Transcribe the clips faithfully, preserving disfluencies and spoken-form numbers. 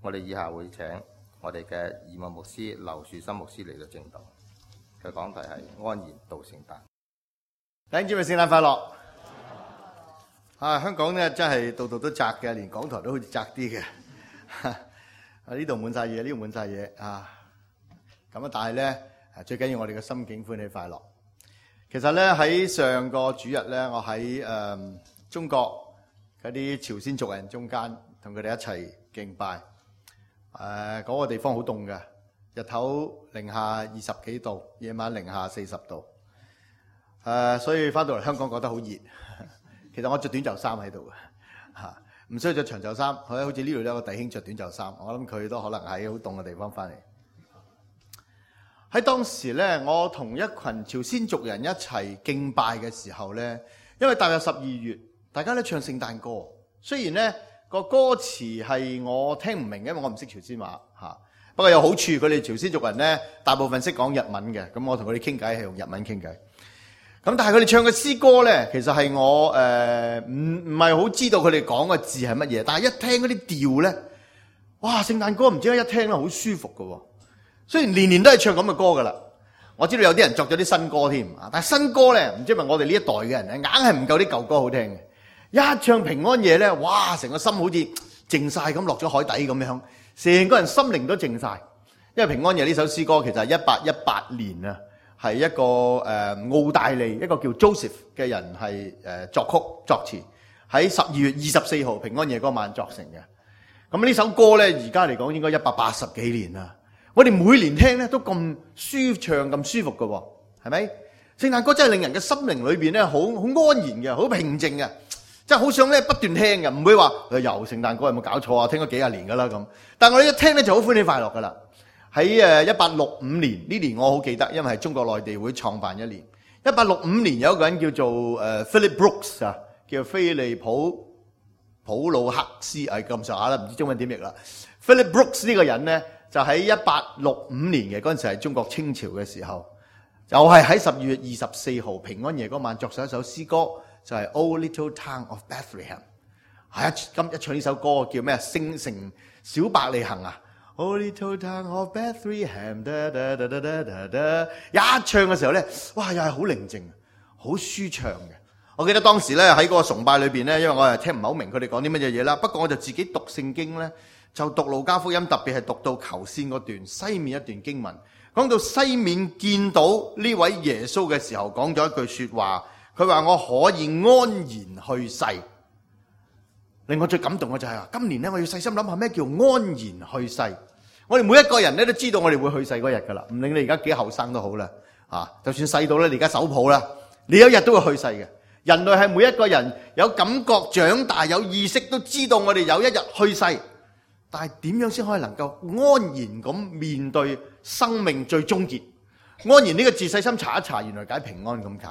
我哋以下會請我哋嘅義務牧師劉樹森牧師嚟到正道，佢講題係安然度聖誕。弟兄姊妹，聖誕快樂！啊，香港咧真係度度都窄嘅，連港台都好似窄啲嘅。啊，呢度滿晒嘢，呢度滿晒嘢啊！咁啊，但係咧，最緊要我哋嘅心境歡喜快樂。其實咧喺上個主日咧，我喺誒、呃、中國嗰啲朝鮮族人中間，同佢哋一齊敬拜。誒、呃，嗰、那個地方好凍嘅，日頭零下二十幾度，夜晚零下四十度。誒、呃，所以翻到嚟香港覺得好熱。其實我着短袖衫喺度嘅，嚇唔需要着長袖衫。好似呢度有個弟兄着短袖衫，我諗佢都可能喺好凍嘅地方翻嚟。喺當時咧，我同一群朝鮮族人一齊敬拜嘅時候咧，因為踏入十二月，大家咧唱聖誕歌。雖然咧個歌詞係我聽唔明，因為我唔識朝鮮話嚇。不過有好處，佢哋朝鮮族人咧大部分識講日文嘅，咁我同佢哋傾偈係用日文傾偈。咁但係佢哋唱嘅詩歌咧，其實係我誒唔唔係好知道佢哋講嘅字係乜嘢。但係一聽嗰啲調咧，哇！聖誕歌唔知點解一聽咧好舒服㗎喎。雖然年年都係唱咁嘅歌㗎啦，我知道有啲人作咗啲新歌添啊，但係新歌咧唔知係咪我哋呢一代嘅人咧，硬係唔夠啲舊歌好聽嘅。一唱平安夜咧，哇！成個心好似靜晒咁，落咗海底咁樣，成個人心靈都靜晒。因為平安夜呢首詩歌其實係一八一八年啊。係一個誒、呃、澳大利一個叫 Joseph 嘅人係誒、呃、作曲作詞，喺十二月二十四號平安夜嗰晚作成嘅。咁呢首歌咧，而家嚟講應該一百八十幾年啦。我哋每年聽咧都咁舒暢咁舒服嘅喎，係咪？聖誕歌真係令人嘅心靈裏邊咧好好安然嘅，好平靜嘅，即係好想咧不斷聽嘅，唔會話誒又聖誕歌有冇搞錯啊？聽咗幾廿年㗎啦咁。但係我哋一聽咧就好歡喜快樂㗎啦。喺誒一八六五年呢年我好記得，因為係中國內地會創辦一年。一八六五年有一個人叫做誒 Philip Brooks 啊，叫菲利普普魯克斯，係咁上下啦，唔知中文點譯啦。Philip Brooks 呢個人咧，就喺一八六五年嘅嗰陣時係中國清朝嘅時候，就係喺十二月二十四號平安夜嗰晚作咗一首詩歌，就係、是、O Little Town of Bethlehem。係一今一唱呢首歌叫咩？聖城小伯利恆啊！Oh little town of Bethlehem， da da da da da da， 一唱嘅時候咧，哇，又係好寧靜，好舒暢嘅。我記得當時咧喺嗰個崇拜裏邊咧，因為我係聽唔係好明佢哋講啲乜嘢嘢啦。不過我就自己讀聖經咧，就讀路加福音，特別係讀到頭先嗰段西面一段經文，講到西面見到呢位耶穌嘅時候，講咗一句說話，佢話我可以安然去世。令我最感動嘅就係話，今年咧我要細心諗下咩叫安然去世。我哋每一個人咧都知道我哋會去世嗰日噶啦，唔理你而家幾後生都好啦，啊，就算細到咧你而家手抱啦，你有一日都會去世嘅。人類係每一個人有感覺、長大、有意識，都知道我哋有一日去世。但係點樣先可以能夠安然咁面對生命最終結？安然呢個字細心查一查，原來解平安咁解。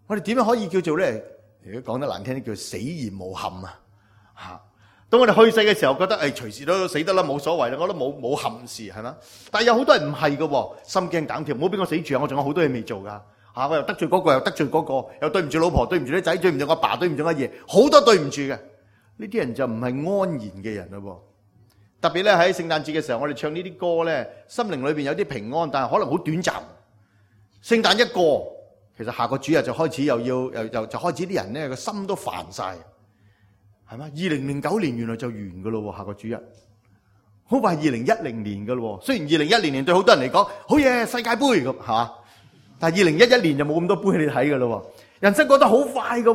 我哋點樣可以叫做咧？如果講得難聽啲，叫死而無憾啊！吓，當我哋去世嘅時候，覺得誒隨時都死得啦，冇所謂啦，我都冇冇憾事係嘛？但係有好多人唔係嘅，心驚膽跳，唔好俾我死住啊！我仲有好多嘢未做噶吓，我又得罪嗰個，又得罪嗰個，又對唔住老婆，對唔住啲仔，對唔住我爸，對唔住阿爺，好多對唔住嘅。呢啲人就唔係安然嘅人咯。特別咧喺聖誕節嘅時候，我哋唱呢啲歌咧，心靈裏邊有啲平安，但係可能好短暫。聖誕一過，其實下個主日就開始又要又又就開始啲人咧個心都煩晒。係嘛？二零零九年原來就完噶咯，下個主日好快二零一零年噶咯。雖然二零一零年對好多人嚟講好嘢，世界盃咁係嘛，但係二零一一年就冇咁多杯你睇噶咯。人生過得好快噶，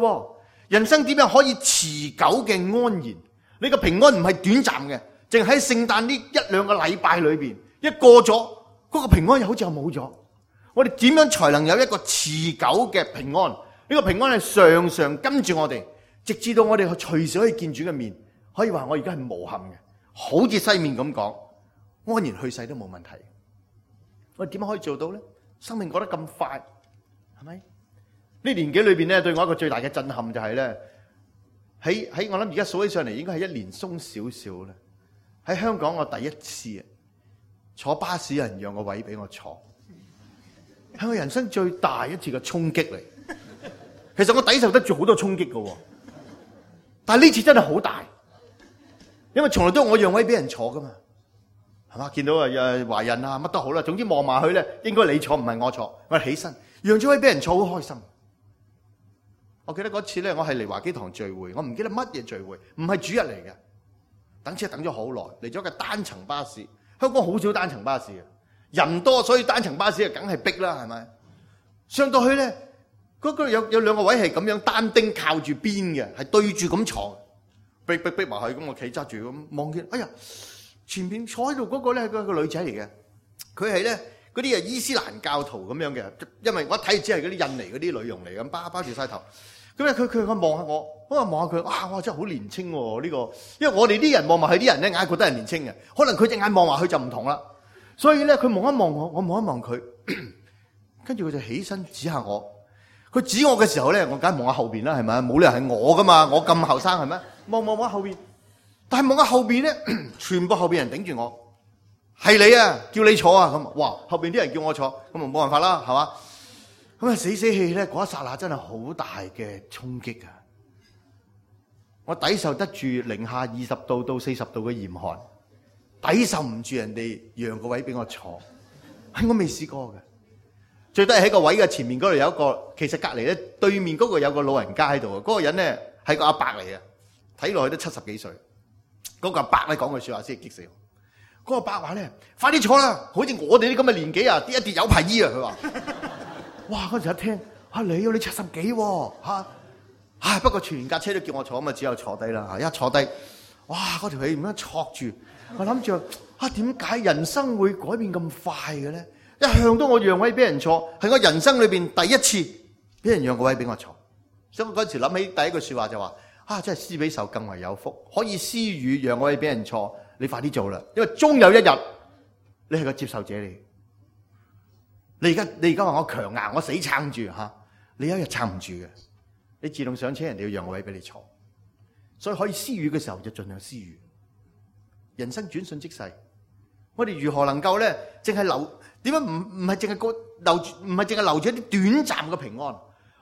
人生點樣可以持久嘅安然？你個平安唔係短暫嘅，淨喺聖誕呢一兩個禮拜裏邊，一過咗嗰個平安又好似又冇咗。我哋點樣才能有一個持久嘅平安？呢個平安係常常跟住我哋。直至到我哋隨時可以見主嘅面，可以話我而家係無憾嘅，好似西面咁講，安然去世都冇問題。我哋點樣可以做到咧？生命過得咁快，係咪？呢年紀裏邊咧，對我一個最大嘅震撼就係咧，喺喺我諗而家數起上嚟，應該係一年鬆少少啦。喺香港我第一次啊，坐巴士有人讓個位俾我坐，係我人生最大一次嘅衝擊嚟。其實我抵受得住好多衝擊㗎喎。但係呢次真係好大，因為從來都我讓位俾人坐噶嘛，係嘛？見到啊誒懷孕啊乜都好啦，總之望埋去咧，應該你坐唔係我坐，我起身讓咗位俾人坐，好開心。我記得嗰次咧，我係嚟華基堂聚會，我唔記得乜嘢聚會，唔係主日嚟嘅，等車等咗好耐，嚟咗架單層巴士。香港好少單層巴士嘅，人多所以單層巴士啊梗係逼啦，係咪？上到去咧，嗰個有有兩個位係咁樣單丁靠住邊嘅，係對住咁坐，逼逼逼埋去，咁我企揸住咁望見，哎呀，前面坐喺度嗰個咧係個女仔嚟嘅，佢係咧嗰啲啊伊斯蘭教徒咁樣嘅，因為我一睇只係嗰啲印尼嗰啲女傭嚟咁，包包住晒頭。咁咧佢佢佢望下我，我話望下佢，哇！我真係好年青喎呢個，因為我哋啲人望埋佢啲人咧，眼覺得係年青嘅，可能佢隻眼望埋佢就唔同啦。所以咧，佢望一望我，我望一望佢，跟住佢就起身指下我。佢指我嘅時候咧，我梗係望下後邊啦，係咪？冇理由係我噶嘛，我咁後生係咪？望望望後邊，但係望下後邊咧，全部後邊人頂住我，係你啊，叫你坐啊咁。哇！後邊啲人叫我坐，咁啊冇辦法啦，係嘛？咁啊死死氣咧，嗰一剎那真係好大嘅衝擊啊！我抵受得住零下二十度到四十度嘅嚴寒，抵受唔住人哋讓個位俾我坐，係我未試過嘅。最低喺個位嘅前面嗰度有一個，其實隔離咧對面嗰個有個老人家喺度啊。嗰、嗰個人咧係個阿伯嚟嘅，睇落去都七十幾歲。嗰、嗰個阿伯咧講句説話先係激死我。嗰、嗰個阿伯話咧：快啲坐啦，好似我哋啲咁嘅年紀啊，跌一跌有排醫啊！佢話。哇！嗰時一聽嚇你啊，你七十幾喎嚇，唉不過全架車都叫我坐，咁啊只有坐低啦嚇。一坐低，哇！嗰條氣咁樣挫住，我諗住啊點解人生會改變咁快嘅咧？一向都我讓位俾人坐，係我人生裏邊第一次俾人讓個位俾我坐。所以我嗰時諗起第一句説話就話：啊，真係施比受更為有福，可以施予讓個位俾人坐，你快啲做啦，因為終有一日你係個接受者嚟。你而家你而家話我強硬，我死撐住嚇，你有一日撐唔住嘅，你自動上車，人哋要讓個位俾你坐，所以可以施予嘅時候就盡量施予。人生轉瞬即逝，我哋如何能夠咧，淨係留點解唔唔係淨係個留住，唔係淨係留住一啲短暫嘅平安，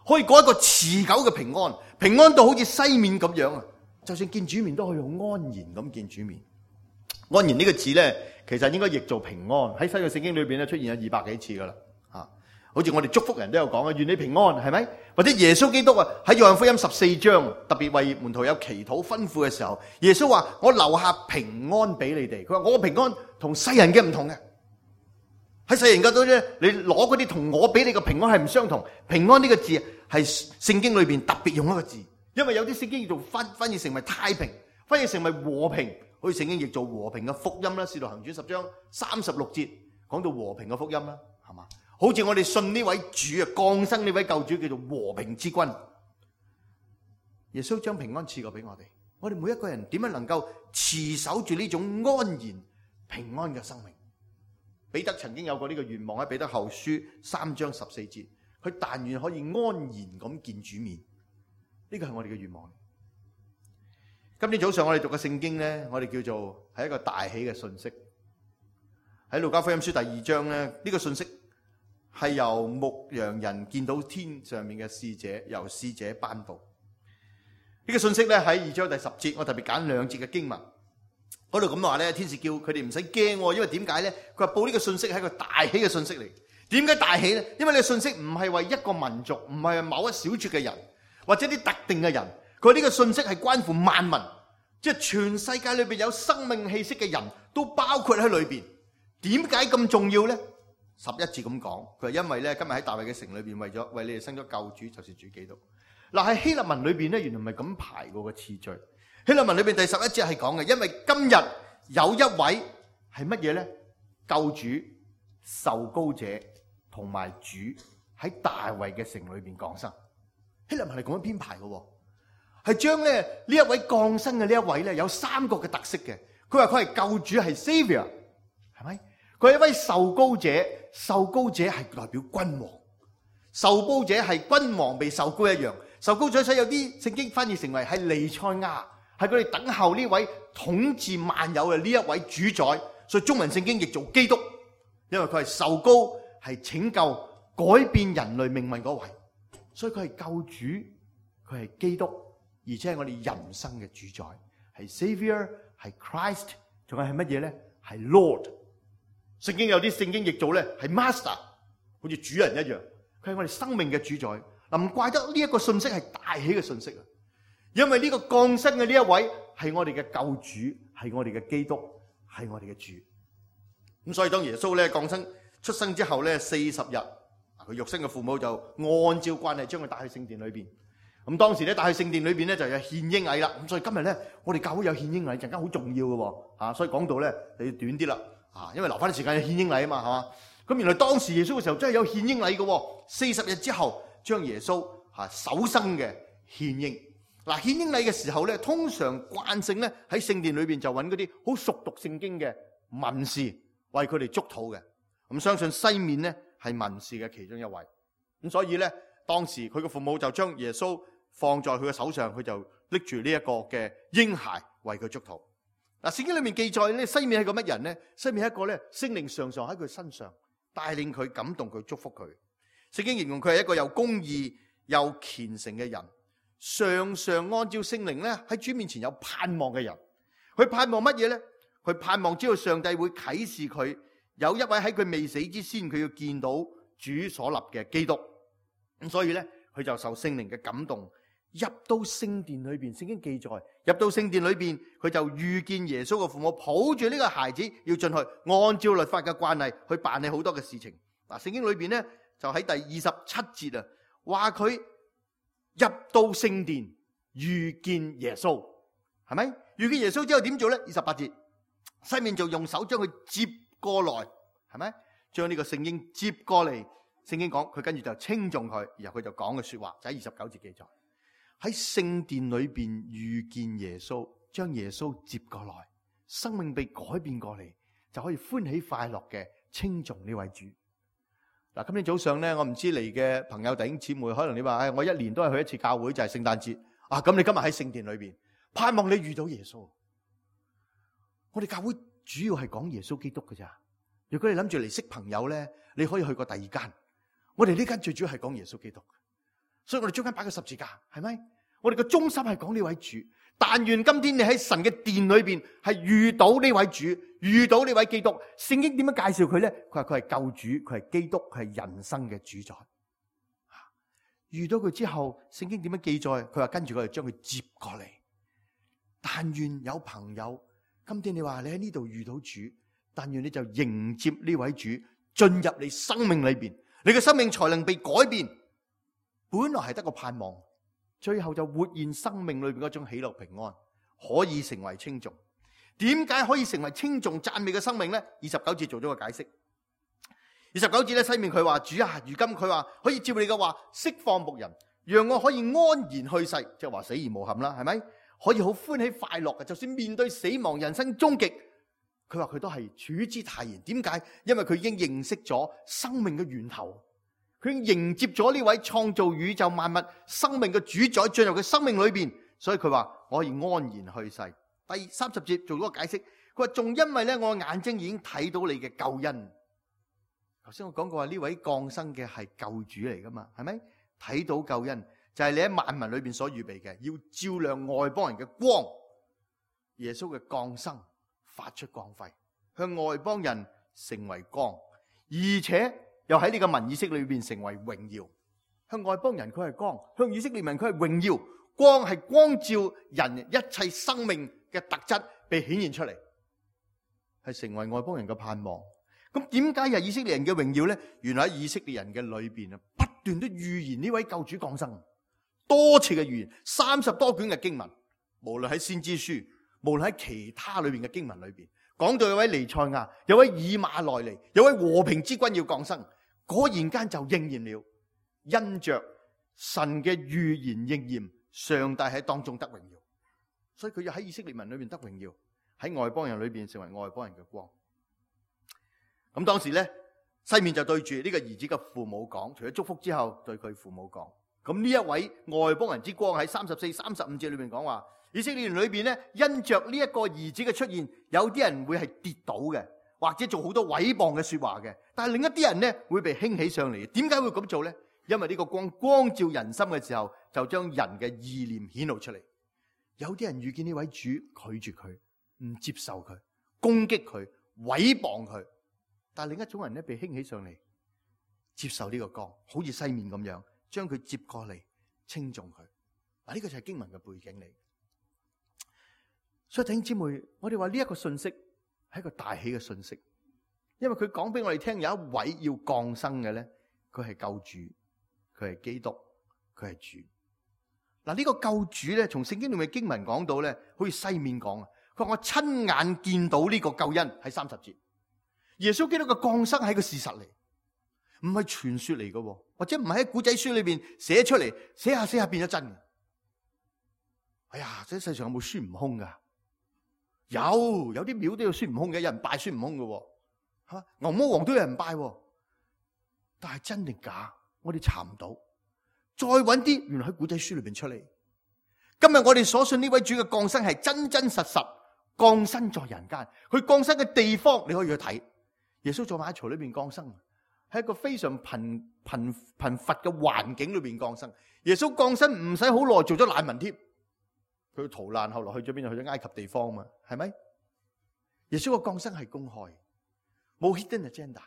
可以過一個持久嘅平安，平安到好似西面咁樣啊！就算見主面都可以好安然咁見主面。安然呢個字咧，其實應該譯做平安，喺新約聖經裏邊咧出現有二百幾次噶啦。好似我哋祝福人都有講啊，願你平安，係咪？或者耶穌基督啊喺約翰福音十四章特別為門徒有祈禱吩咐嘅時候，耶穌話：我留下平安俾你哋。佢話我嘅平安同世人嘅唔同嘅。喺世人嗰度咧，你攞嗰啲同我俾你嘅平安係唔相同。平安呢個字係聖經裏邊特別用一個字，因為有啲聖經要做翻翻譯成為太平，翻譯成為和平，好似聖經譯做和平嘅福音啦。使徒行傳十章三十六節講到和平嘅福音啦，係嘛？好似我哋信呢位主啊，降生呢位救主叫做和平之君。耶穌將平安賜過俾我哋，我哋每一個人點樣能夠持守住呢種安然平安嘅生命？彼得曾經有過呢個願望，喺彼得後書三章十四節，佢但願可以安然咁見主面，呢個係我哋嘅願望。今天早上我哋讀嘅聖經呢，我哋叫做係一個大喜嘅信息。喺路加福音書第二章呢，呢個信息係由牧羊人見到天上面嘅使者，由使者頒布。呢個信息咧喺二章第十節，我特別揀兩節嘅經文。嗰度咁話咧，天使叫佢哋唔使驚，因為點解咧？佢話報呢個信息係一個大喜嘅信息嚟。點解大喜咧？因為呢個信息唔係為一個民族，唔係某一小撮嘅人，或者啲特定嘅人。佢呢個信息係關乎萬民，即係全世界裏邊有生命氣息嘅人都包括喺裏邊。點解咁重要咧？十一節咁講，佢話因為咧今日喺大衛嘅城裏邊，為咗為你哋生咗救主，就是主基督。嗱喺希臘文裏邊咧，原來唔係咁排過個次序。希臘文裏邊第十一節係講嘅，因為今日有一位係乜嘢咧？救主、受膏者同埋主喺大衛嘅城裏邊降生。希臘文係咁樣編排嘅，係將咧呢一位降生嘅呢一位咧有三個嘅特色嘅。佢話佢係救主，係 Savior， 係咪？佢係一位受膏者。受膏者係代表君王，受膏者係君王被受膏一樣。受膏者所以有啲聖經翻譯成為係彌賽亞，係佢哋等候呢位統治萬有嘅呢一位主宰。所以中文聖經譯做基督，因為佢係受膏，係拯救改變人類命運嗰位。所以佢係救主，佢係基督，而且係我哋人生嘅主宰，係 Savior，係 Christ， 仲有係乜嘢咧？係 Lord。聖經有啲聖經譯做咧係 Master， 好似主人一樣，佢係我哋生命嘅主宰。嗱，唔怪得呢一個信息係大喜嘅信息啊！因為呢個降生嘅呢一位係我哋嘅救主，係我哋嘅基督，係我哋嘅主。咁所以當耶穌咧降生出生之後咧四十日，佢肉身嘅父母就按照慣例將佢帶去聖殿裏邊。咁當時咧帶去聖殿裏邊咧就有獻嬰禮啦。咁所以今日咧我哋教會有獻嬰禮，陣間好重要嘅喎嚇。所以講到咧就要短啲啦嚇，因為留翻啲時間有獻嬰禮啊嘛，係嘛？咁原來當時耶穌嘅時候真係有獻嬰禮嘅喎。四十日之後將耶穌嚇首生嘅獻嬰。嗱，獻嬰禮嘅時候咧，通常慣性咧喺聖殿裏邊就揾嗰啲好熟讀聖經嘅文士為佢哋祝禱嘅。咁相信西面咧係文士嘅其中一位。咁所以咧當時佢嘅父母就將耶穌放在佢嘅手上，佢就拎住呢一個嘅嬰孩為佢祝禱。嗱，聖經裏面記載咧，西面係個乜人咧？西面係一個咧聖靈常常喺佢身上帶領佢、感動佢、祝福佢。聖經形容佢係一個又公義又虔誠嘅人。常常按照聖靈咧喺主面前有盼望嘅人，佢盼望乜嘢咧？佢盼望知道上帝會啟示佢有一位喺佢未死之先，佢要見到主所立嘅基督。咁所以咧，佢就受聖靈嘅感動，入到聖殿裏邊。聖經記載，入到聖殿裏邊，佢就遇見耶穌嘅父母抱住呢個孩子要進去，按照律法嘅慣例去辦理好多嘅事情。嗱，聖經裏邊咧就喺第二十七節啊，話佢入到聖殿遇見耶穌，係咪？遇見耶穌之後點做咧？二十八節，西面就用手將佢接過來，係咪？將呢個聖經接過嚟。聖經講佢跟住就稱頌佢，然後佢就講嘅說話就喺二十九節記載，喺聖殿裏邊遇見耶穌，將耶穌接過來，生命被改變過嚟，就可以歡喜快樂嘅稱頌呢位主。嗱，今天早上咧，我唔知嚟嘅朋友弟兄姊妹，可能你話，唉，我一年都係去一次教會，就係聖誕節啊。咁你今日喺聖殿裏邊，盼望你遇到耶穌。我哋教會主要係講耶穌基督㗎咋。如果你諗住嚟識朋友咧，你可以去過第二間。我哋呢間最主要係講耶穌基督，所以我哋中間擺個十字架，係咪？我哋嘅中心係講呢位主。但願今天你喺神嘅殿裏邊係遇到呢位主，遇到呢位基督。聖經點樣介紹佢咧？佢話佢係救主，佢係基督，佢係人生嘅主宰。遇到佢之後，聖經點樣記載？佢話跟住佢就將佢接過嚟。但願有朋友，今天你話你喺呢度遇到主，但願你就迎接呢位主進入你生命裏邊，你嘅生命才能被改變。本來係得個盼望，最後就活現生命裏邊嗰種喜樂平安，可以成為稱頌。點解可以成為稱頌讚美嘅生命呢？二十九節做咗個解釋。二十九節咧，西面佢話：主啊，如今佢話可以照你嘅話釋放牧人，讓我可以安然去世，即係話死而無憾啦，係咪？可以好歡喜快樂嘅，就算面對死亡、人生終極，佢話佢都係處之泰然。點解？因為佢已經認識咗生命嘅源頭。佢迎接咗呢位創造宇宙萬物生命嘅主宰進入佢生命裏邊，所以佢話我可以安然去世。第三十節做咗個解釋，佢話仲因為咧我眼睛已經睇到你嘅救恩。頭先我講過話呢位降生嘅係救主嚟噶嘛，係咪？睇到救恩就係你喺萬民裏邊所預備嘅，要照亮外邦人嘅光。耶穌嘅降生發出光輝，向外邦人成為光，而且又喺呢個民以色列裏邊成為榮耀。向外邦人佢係光，向以色列民佢係榮耀。光係光照人一切生命嘅特質被顯現出嚟，係成為外邦人嘅盼望。咁點解係以色列人嘅榮耀呢？原來喺以色列人嘅裏邊啊，不斷都預言呢位救主降生，多次嘅預言，三十多卷嘅經文，無論喺先知書，無論喺其他裏邊嘅經文裏邊，講到有位彌賽亞，有位以馬內利，有位和平之君要降生，果然間就應驗了。因着神嘅預言應驗，上帝喺當中得榮耀，所以佢要喺以色列民裏邊得榮耀，喺外邦人裏邊成為外邦人嘅光。咁當時咧，西面就對住呢個兒子嘅父母講，除咗祝福之後，對佢父母講。咁呢一位外邦人之光喺三十四、三十五節裏邊講話，以色列人裏邊咧，因着呢一個兒子嘅出現，有啲人會係跌倒嘅，或者做好多毀謗嘅說話嘅。但係另一啲人咧會被興起上嚟。點解會咁做咧？因為呢個光光照人心嘅時候，就將人嘅意念顯露出嚟。有啲人遇見呢位主拒絕佢，唔接受佢，攻擊佢，毀謗佢。但係另一種人咧，被興起上嚟，接受呢個光，好似西面咁樣，將佢接過嚟，稱頌佢。嗱，呢個就係經文嘅背景嚟。所以弟兄姊妹，我哋話呢一個信息係一個大喜嘅信息，因為佢講俾我哋聽，有一位要降生嘅咧，佢係救主，佢係基督，佢係主。嗱，呢個救主咧，從聖經裏面經文講到咧，好似西面講啊，佢話我親眼見到呢個救恩喺三十節，耶穌基督嘅降生係個事實嚟，唔係傳說嚟嘅，或者唔係喺古仔書裏邊寫出嚟，寫下寫下變咗真嘅。哎呀，這世上有冇孫悟空噶？有，有啲廟都有孫悟空嘅，有人拜孫悟空嘅，吓，牛魔王都有人拜，但係真定假，我哋查唔到。再揾啲，原來喺古仔書裏邊出嚟。今日我哋所信呢位主嘅降生係真真實實降生在人間，佢降生嘅地方你可以去睇。耶穌在馬槽裏邊降生，喺一個非常貧貧貧乏嘅環境裏邊降生。耶穌降生唔使好耐，做咗難民添。佢逃難，後來去咗邊度？去咗埃及地方嘛，係咪？耶穌嘅降生係公開，冇 hidden agenda，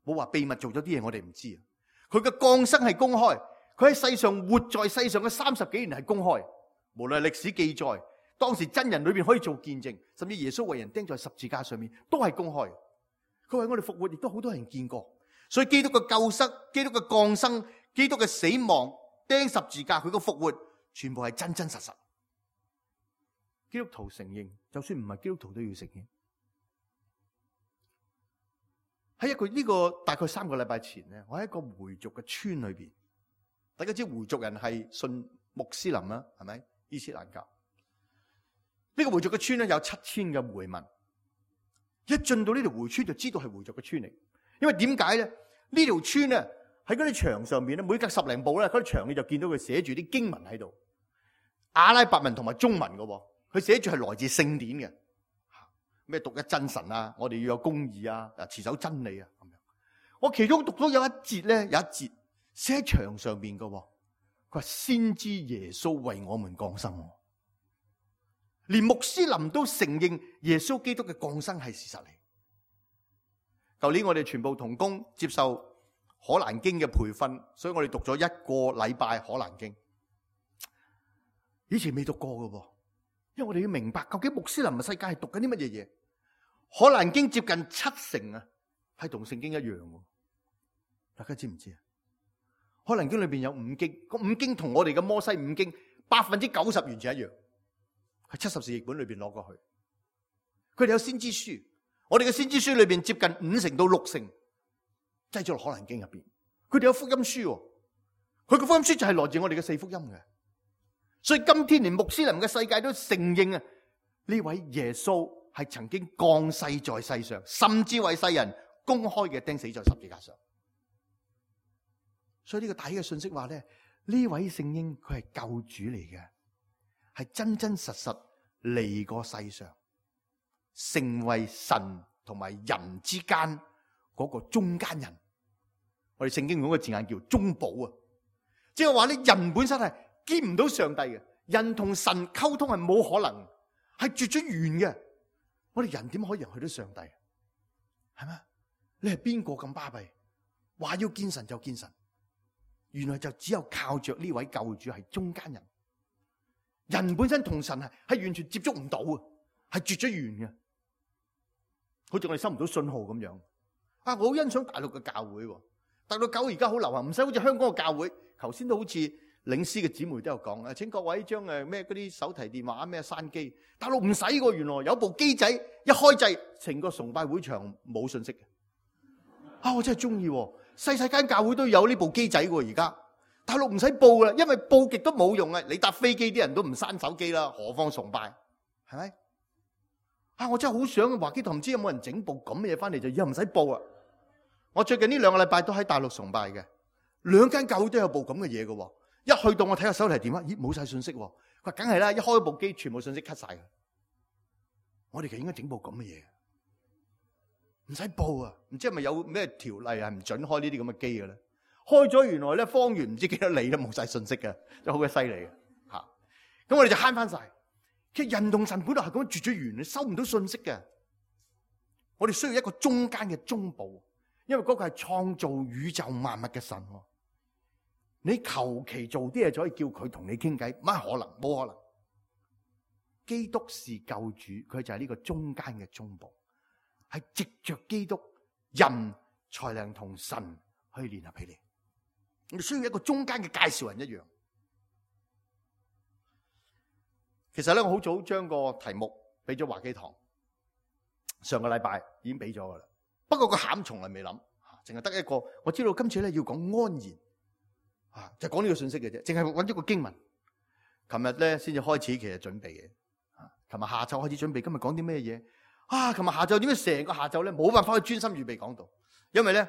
冇話秘密做咗啲嘢我哋唔知啊。佢嘅降生係公開，佢喺世上活在世上嘅三十幾年係公開，無論係歷史記載，當時真人裏邊可以做見證，甚至耶穌為人釘在十字架上面都係公開。佢為我哋復活，亦都好多人見過。所以基督嘅救贖、基督嘅降生、基督嘅死亡、釘十字架，佢嘅復活，全部係真真實實。基督徒承認，就算唔係基督徒都要承認。喺一個呢個大概三個禮拜前咧，我喺一個回族嘅村裏邊，大家知回族人係信穆斯林啦，係咪？伊斯蘭教。呢個回族嘅村咧有七千嘅回民，一進到呢條回村就知道係回族嘅村嚟。因為點解咧？呢條村咧喺嗰啲牆上面咧，每隔十零步咧，嗰啲牆你就見到佢寫住啲經文喺度，阿拉伯文同埋中文嘅。佢寫住係來自聖典嘅，咩獨一真神啊，我哋要有公義啊，持守真理啊咁樣。我其中讀到有一節咧，有一節寫喺牆上邊嘅，佢話先知耶穌為我們降生，連穆斯林都承認耶穌基督嘅降生係事實嚟。舊年我哋全部同工接受可蘭經嘅培訓，所以我哋讀咗一個禮拜可蘭經，以前未讀過嘅噃。因為我哋要明白究竟穆斯林嘅世界係讀緊啲乜嘢嘢。可蘭經接近七成啊，係同聖經一樣嘅。大家知唔知啊？可蘭經裏邊有五經，個五經同我哋嘅摩西五經百分之九十完全一樣，係七十士譯本裏邊攞過去。佢哋有先知書，我哋嘅先知書裏邊接近五成到六成擠咗落可蘭經入邊。佢哋有福音書，佢個福音書就係來自我哋嘅四福音嘅。所以今天連穆斯林嘅世界都承認啊，呢位耶穌係曾經降世在世上，甚至為世人公開嘅釘死在十字架上。所以呢個大嘅信息話咧，呢位聖嬰佢係救主嚟嘅，係真真實實嚟過世上，成為神同埋人之間嗰個中間人。我哋聖經用個字眼叫中保啊，即係話咧，人本身係見唔到上帝嘅，人同神溝通係冇可能，係絕咗緣嘅。我哋人點可以去到上帝？係咪？你係邊個咁巴閉？話要見神就見神，原來就只有靠着呢位救主係中間人。人本身同神係係完全接觸唔到啊，係絕咗緣嘅。好似我哋收唔到信號咁樣。啊，我好欣賞大陸嘅教會，大陸教會而家好流行，唔使好似香港嘅教會。頭先都好似領詩嘅姊妹都有講啊，請各位將誒咩嗰啲手提電話咩閂機。大陸唔使喎，原來有部機仔一開掣，成個崇拜會場冇信息嘅。啊，我真係中意，細細間教會都有呢部機仔喎。而家大陸唔使報啦，因為報極都冇用啊。你搭飛機啲人都唔閂手機啦，何況崇拜，係咪？啊，我真係好想華基堂，唔知有冇人整部咁嘅嘢翻嚟，就以後唔使報啊。我最近呢兩個禮拜都喺大陸崇拜嘅，兩間教會都有部咁嘅嘢嘅。一去到我睇下手提電話，咦，冇晒信息。佢話梗係啦，一開部機全部信息 cut 晒嘅。我哋其實應該整部咁嘅嘢，唔使報啊。唔知係咪有咩條例係唔准開呢啲咁嘅機嘅咧？開咗原來咧方圓唔知幾多里都冇晒信息嘅，真係好鬼犀利嘅吓。咁我哋就慳翻晒。其實人同神本來係咁樣絕咗緣，你收唔到信息嘅。我哋需要一個中間嘅中保，因為嗰個係創造宇宙萬物嘅神。你求其做啲嘢就可以叫佢同你傾偈，乜可能？冇可能。基督是救主，佢就係呢個中間嘅中保，係藉着基督，人才能同神去聯合起嚟。我哋需要一個中間嘅介紹人一樣。其實咧，我好早將個題目俾咗華基堂，上個禮拜已經俾咗噶啦。不過個餡從來未諗，淨係得一個。我知道今次咧要講安然。啊！就講呢個信息嘅啫，淨係揾咗個經文。琴日咧先至開始，其實準備嘅。啊！琴日下晝開始準備，今日講啲咩嘢？啊！琴日下晝點解成個下晝咧冇辦法去專心預備講道？因為咧，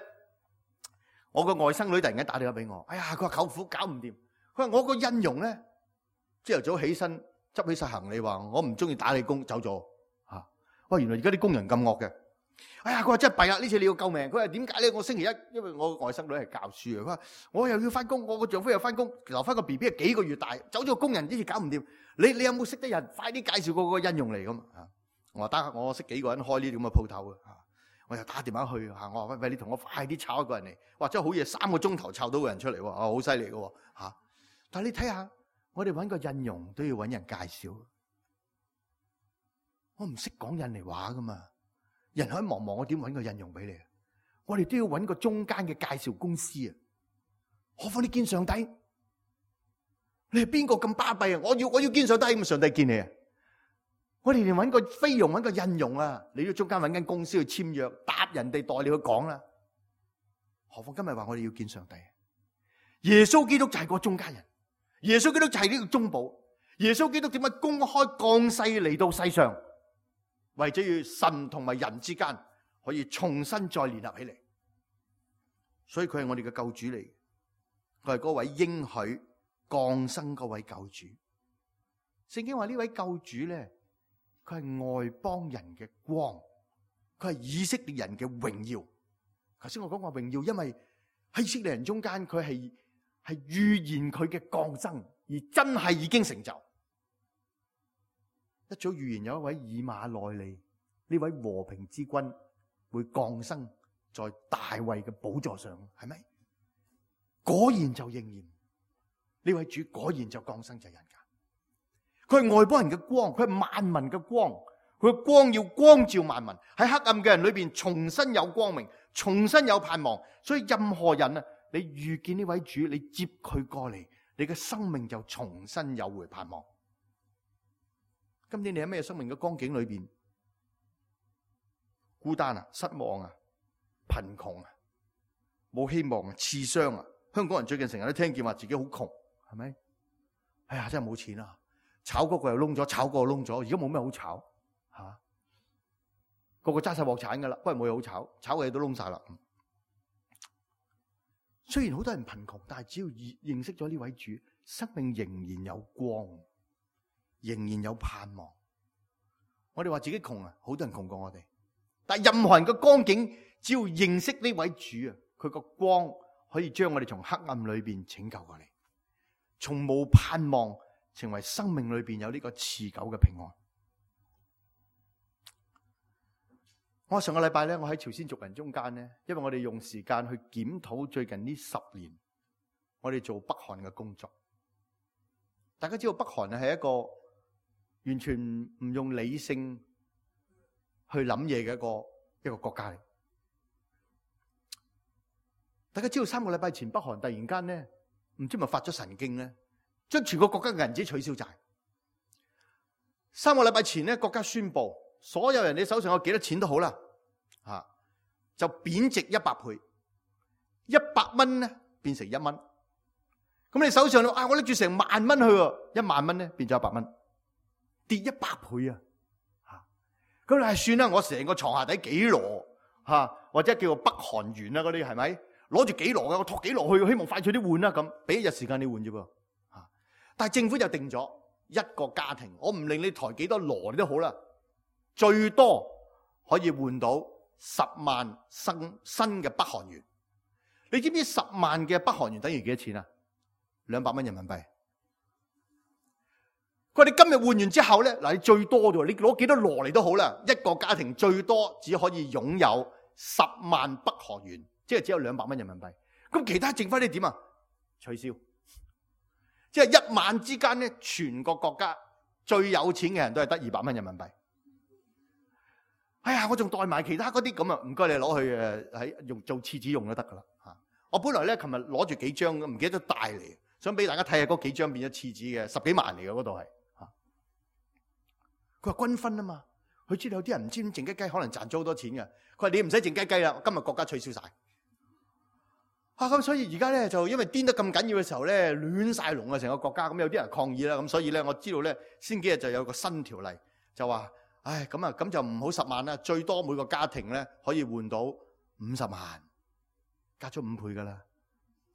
我個外甥女突然間打電話俾我，哎呀，佢話舅父搞唔掂。佢話我個印傭咧，朝頭早起身執起晒行李，話我唔中意打你工，走咗。吓、啊！哇！原來而家啲工人咁惡嘅。哎呀，佢話真係弊啦！呢次你要救命。佢話點解咧？我星期一，因為我外甥女係教書嘅，佢話我又要翻工，我個丈夫又翻工，留翻個 B B 係幾個月大，走咗個工人呢次搞唔掂。你你有冇識得人？快啲介紹個個印傭嚟咁啊！我話得，我識幾個人開呢啲咁嘅鋪頭啊！我又打電話去吓，我話喂喂，你同我快啲炒一個人嚟，哇！真係好嘢，三個鐘頭炒到個人出嚟喎，啊，好犀利嘅吓！但係你睇下，我哋搵個印傭都要搵人介紹，我唔識講印尼話噶嘛。人海茫茫，我點搵個印傭俾你啊？我哋都要搵個中間嘅介紹公司啊！何況你見上帝，你係邊個咁巴閉啊？我要我要見上帝，咁上帝見你啊！我哋連搵個菲傭，搵個印傭啊，你都中間搵間公司去簽約，搭人哋代你去講啦。何況今日話我哋要見上帝，耶穌基督就係個中間人，耶穌基督就係呢個中保。耶穌基督點解公開降世嚟到世上？為咗要神同埋人之間可以重新再聯合起嚟，所以佢係我哋嘅救主嚟，佢係嗰位應許降生嗰位救主。聖經話呢位救主咧，佢係外邦人嘅光，佢係以色列人嘅榮耀。頭先我講話榮耀，因為喺以色列人中間，佢係係預言佢嘅降生，而真係已經成就。一早預言有一位以馬內利，呢位和平之君會降生在大衛嘅寶座上，係咪？果然就應驗，呢位主果然就降生在人間。佢係外邦人嘅光，佢係萬民嘅光，佢嘅光要光照萬民，喺黑暗嘅人裏邊重新有光明，重新有盼望。所以任何人啊，你遇見呢位主，你接佢過嚟，你嘅生命就重新有回盼望。今天你喺咩生命嘅光景裏邊？孤單啊，失望啊，貧窮啊，冇希望啊，刺傷啊。香港人最近成日都聽見話自己好窮，係咪？哎呀，真係冇錢啊！炒嗰個又窿咗，炒嗰個窿咗，而家冇咩好炒吓、啊。個個揸晒鑊鏟噶啦，不過冇嘢好炒，炒嘅嘢都窿晒啦。雖然好多人貧窮，但係只要認識咗呢位主，生命仍然有光。仍然有盼望。我哋話自己窮啊，好多人窮過我哋。但係任何人嘅光景，只要認識呢位主啊，佢個光可以將我哋從黑暗裏邊拯救過嚟，從冇盼望成為生命裏邊有呢個持久嘅平安。我上個禮拜咧，我喺朝鮮族人中間咧，因為我哋用時間去檢討最近呢十年我哋做北韓嘅工作。大家知道北韓係一個完全唔用理性去諗嘢嘅一個一個國家嚟。大家知道三個禮拜前北韓突然間咧，唔知咪發咗神經咧，將全個國家嘅銀紙取消晒。三個禮拜前咧，國家宣布所有人你手上有幾多錢都好啦，吓就貶值一百倍，一百蚊咧變成一蚊。咁你手上啊，我拎住成萬蚊去，一萬蚊咧變咗一百蚊。跌一百倍啊！吓，咁你係算啦，我成個床下底幾籮吓，或者叫做北韓元啊嗰啲係咪？攞住幾籮嘅，我托幾籮去，希望快脆啲換啦咁，俾一日時間你換啫噃吓。但係政府就定咗一個家庭，我唔令你抬幾多籮你都好啦，最多可以換到十萬新新嘅北韓元。你知唔知十萬嘅北韓元等於幾多錢啊？兩百蚊人民幣。佢話你今日換完之後咧，嗱，你最多啫，你攞幾多羅嚟都好啦，一個家庭最多只可以擁有十萬北河元，即係只有兩百蚊人民幣。咁其他剩翻啲點啊？取消。即係一晚之間咧，全個國家最有錢嘅人都係得二百蚊人民幣。哎呀，我仲代埋其他嗰啲咁啊，唔該你攞去誒喺用做廁紙用就得噶啦嚇。我本來咧琴日攞住幾張，唔記得咗帶嚟，想俾大家睇下嗰幾張變咗廁紙嘅，十幾萬嚟嘅嗰度係嚇。佢話均分啊嘛，佢知道有啲人唔知點靜雞雞，可能賺咗好多錢嘅。佢話你唔使靜雞雞啦，今日國家取消晒。啊咁，所以而家咧就因為癲得咁緊要嘅時候咧，亂晒龍啊成個國家，咁有啲人抗議啦，咁所以咧我知道咧，先幾日就有個新條例，就話，唉咁啊咁就唔好十萬啦，最多每個家庭咧可以換到五十萬，加咗五倍噶啦，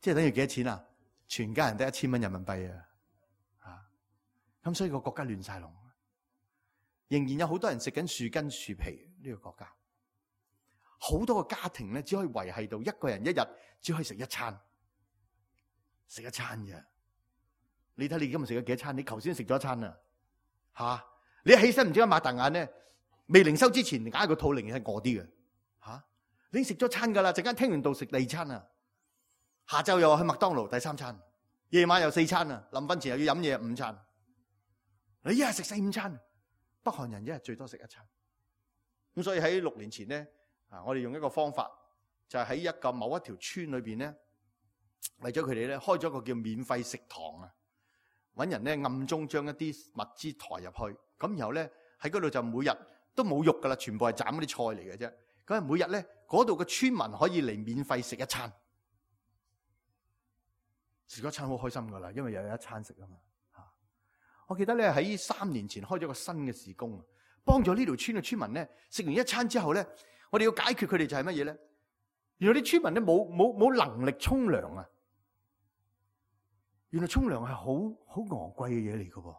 即係等於幾多錢啊？全家人得一千蚊人民幣啊！啊，咁所以個國家亂晒龍，仍然有好多人食緊樹根樹皮呢個國家。好多個家庭咧，只可以維繫到一個人一日只可以食一餐，食一餐嘅。你睇你今日食咗幾多餐？你頭先食咗一餐啊，吓！你一起身唔知點解擘大眼咧，未靈修之前，硬係個肚仍然係餓啲嘅，吓！你已經食咗餐噶啦，陣間聽完道食第二餐啊，下晝又去麥當勞第三餐，夜晚又四餐啊，臨瞓前又要飲嘢五餐，你一日食四五餐，北韓人一日最多食一餐。咁所以喺六年前咧。啊！我哋用一個方法，就係喺一個某一條村裏邊咧，為咗佢哋咧開咗個叫免費食堂啊！揾人咧暗中將一啲物資抬入去，咁然後咧喺嗰度就每日都冇肉噶啦，全部係斬嗰啲菜嚟嘅啫。咁啊，每日咧嗰度嘅村民可以嚟免費食一餐，食咗一餐好開心噶啦，因為又有一餐食啊嘛！嚇！我記得咧喺三年前開咗個新嘅事工啊，幫咗呢條村嘅村民咧食完一餐之後咧。我哋要解決佢哋就係乜嘢咧？原來啲村民咧冇冇冇能力沖涼啊！原來沖涼係好好昂貴嘅嘢嚟嘅喎，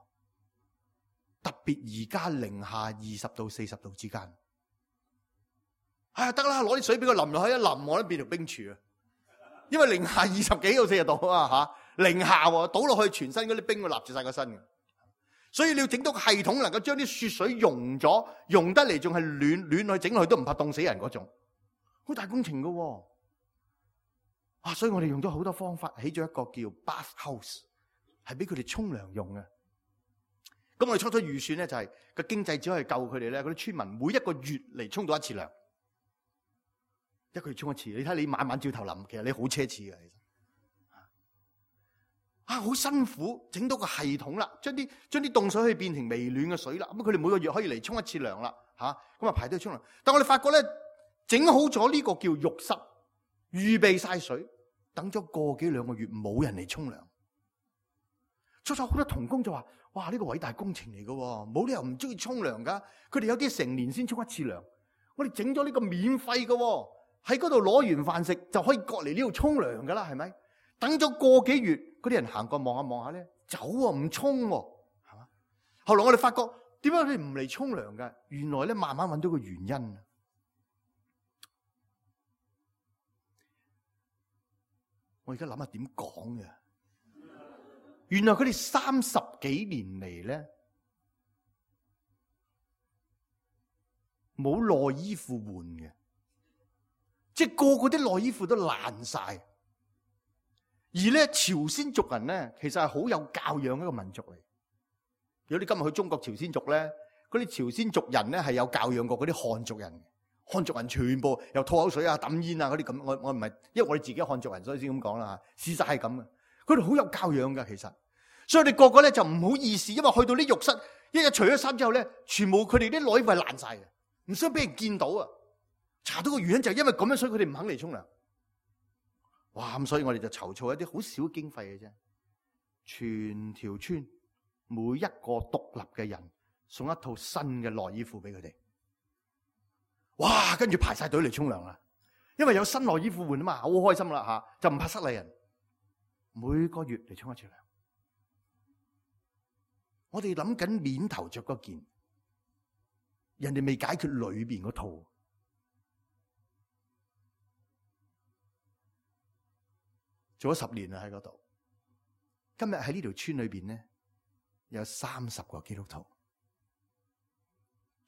特別而家零下二十到四十度之間。哎得啦，攞啲水俾佢淋落去，一淋我都變條冰柱啊！因為零下二十幾到四十度啊嚇，零下喎，倒落去全身嗰啲冰會立住晒個身嘅。所以你要整到個系統能夠將啲雪水溶咗，溶得嚟仲係暖暖去整落去都唔怕凍死人嗰種，好大工程噶喎。啊，所以我哋用咗好多方法，起咗一個叫 bath house， 係俾佢哋沖涼用嘅。咁我哋初初預算咧就係、是、個經濟只可以救佢哋咧，嗰啲村民每一個月嚟沖到一次涼，一個月沖一次。你睇你晚晚照頭淋，其實你好奢侈嘅，其實。啊，好辛苦，整到個系統啦，將啲將啲凍水可以變成微暖嘅水啦。咁佢哋每個月可以嚟沖一次涼啦，吓咁啊排隊沖涼。但我哋發覺咧，整好咗呢個叫浴室，預備晒水，等咗個幾兩個月冇人嚟沖涼。初初好多同工就話：哇，呢、這個偉大工程嚟噶，冇理由唔中意沖涼噶。佢哋有啲成年先沖一次涼，我哋整咗呢個免費噶，喺嗰度攞完飯食就可以過嚟呢度沖涼噶啦，係咪？等咗個幾月，嗰啲人行過望下望下咧，走喎唔沖喎，係嘛？後來我哋發覺點解佢哋唔嚟沖涼㗎？原來咧慢慢揾到個原因。我而家諗下點講嘅。原來佢哋三十幾年嚟咧，冇內衣褲換嘅，即係個個啲內衣褲都爛晒。而咧朝鮮族人咧，其實係好有教養一個民族嚟。如果你今日去中國朝鮮族咧，嗰啲朝鮮族人咧係有教養過嗰啲漢族人。漢族人全部又吐口水啊、抌煙啊嗰啲咁。我我唔係，因為我哋自己漢族人，所以先咁講啦嚇。事實係咁嘅，佢哋好有教養㗎，其實。所以我哋個個咧就唔好意思，因為去到啲浴室，一日除咗衫之後咧，全部佢哋啲內衣褲係爛晒嘅，唔想俾人見到啊。查到個原因就係因為咁樣，所以佢哋唔肯嚟沖涼。哇！咁所以我哋就籌措一啲好少經費嘅啫，全條村每一個獨立嘅人送一套新嘅內衣褲俾佢哋。哇！跟住排晒隊嚟沖涼啦，因為有新內衣褲換啊嘛，好開心啦吓，就唔怕失禮人。每個月嚟沖一次涼。我哋諗緊面頭着嗰件，人哋未解決裏邊嗰套。做咗十年啦喺嗰度，今日喺呢條村裏邊咧，有三十個基督徒。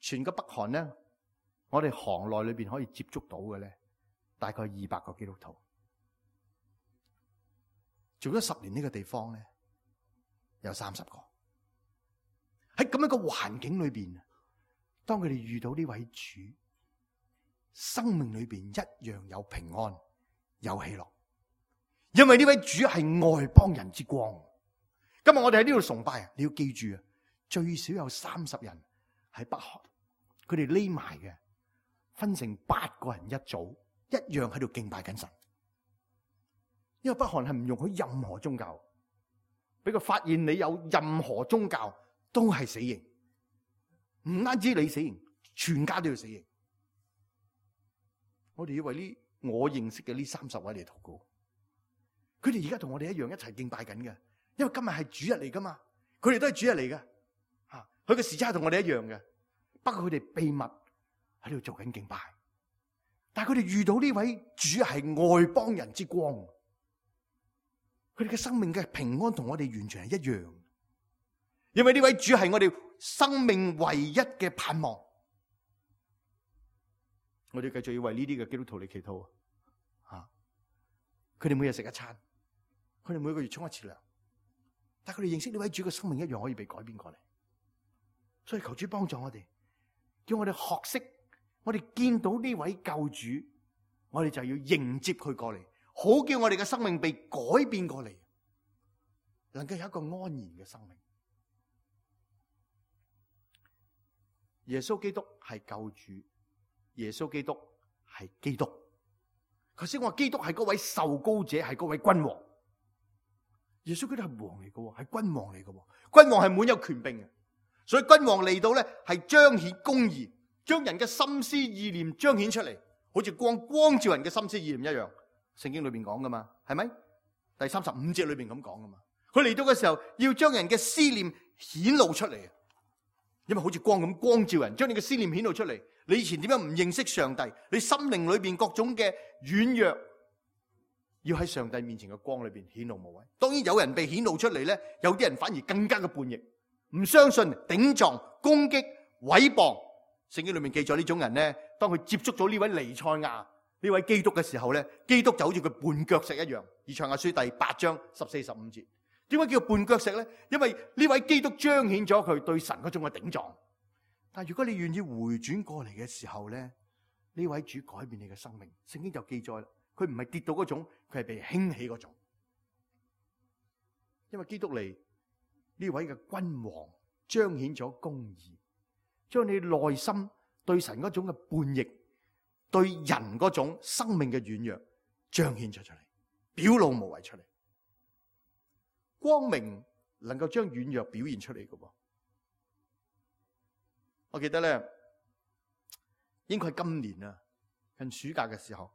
全個北韓咧，我哋行內裏邊可以接觸到嘅咧，大概二百個基督徒。做咗十年呢個地方咧，有三十個。喺咁樣嘅環境裏邊，當佢哋遇到呢位主，生命裏邊一樣有平安，有喜樂。因為呢位主係外邦人之光。今日我哋喺呢度崇拜啊，你要記住啊，最少有三十人喺北韓，佢哋匿埋嘅，分成八個人一組，一樣喺度敬拜緊神。因為北韓係唔容許任何宗教，俾佢發現你有任何宗教都係死刑，唔單止你死刑，全家都要死刑。我哋要為呢我認識嘅呢三十位嚟禱告。佢哋而家同我哋一樣一齊敬拜緊嘅，因為今日係主日嚟噶嘛，佢哋都係主日嚟嘅，吓，佢嘅時差同我哋一樣嘅，不過佢哋秘密喺度做緊敬拜，但係佢哋遇到呢位主係外邦人之光，佢哋嘅生命嘅平安同我哋完全係一樣，因為呢位主係我哋生命唯一嘅盼望。我哋繼續要為呢啲嘅基督徒嚟祈禱啊！佢哋每日食一餐，佢哋每個月沖一次涼，但係佢哋認識呢位主嘅生命一樣可以被改變過嚟。所以求主幫助我哋，叫我哋學識，我哋見到呢位救主，我哋就要迎接佢過嚟，好叫我哋嘅生命被改變過嚟，能夠有一個安然嘅生命。耶穌基督係救主，耶穌基督係基督。頭先我話基督係嗰位受膏者，係嗰位君王。耶穌基督係王嚟嘅，係君王嚟嘅。君王係滿有權柄嘅，所以君王嚟到咧係彰顯公義，將人嘅心思意念彰顯出嚟，好似光光照人嘅心思意念一樣。聖經裏邊講噶嘛，係咪？第三十五節裏邊咁講噶嘛。佢嚟到嘅時候，要將人嘅思念顯露出嚟，因為好似光咁光照人，將你嘅思念顯露出嚟。你以前點樣唔認識上帝？你心靈裏邊各種嘅軟弱，要喺上帝面前嘅光裏邊顯露無遺。當然有人被顯露出嚟咧，有啲人反而更加嘅叛逆，唔相信、頂撞、攻擊、毀謗。聖經裏面記載呢種人咧，當佢接觸咗呢位彌賽亞、呢位基督嘅時候咧，基督就好似佢絆腳石一樣。以賽亞書第八章十四十五節，點解叫絆腳石咧？因為呢位基督彰顯咗佢對神嗰種嘅頂撞。但如果你願意回轉過嚟嘅時候咧，呢位主改變你嘅生命。聖經就記載啦，佢唔係跌到嗰種，佢係被興起嗰種。因為基督嚟，呢位嘅君王彰顯咗公義，將你內心對神嗰種嘅叛逆，對人嗰種生命嘅軟弱彰顯咗出嚟，表露無遺出嚟。光明能夠將軟弱表現出嚟嘅噃。我記得咧，應該係今年啊，近暑假嘅時候，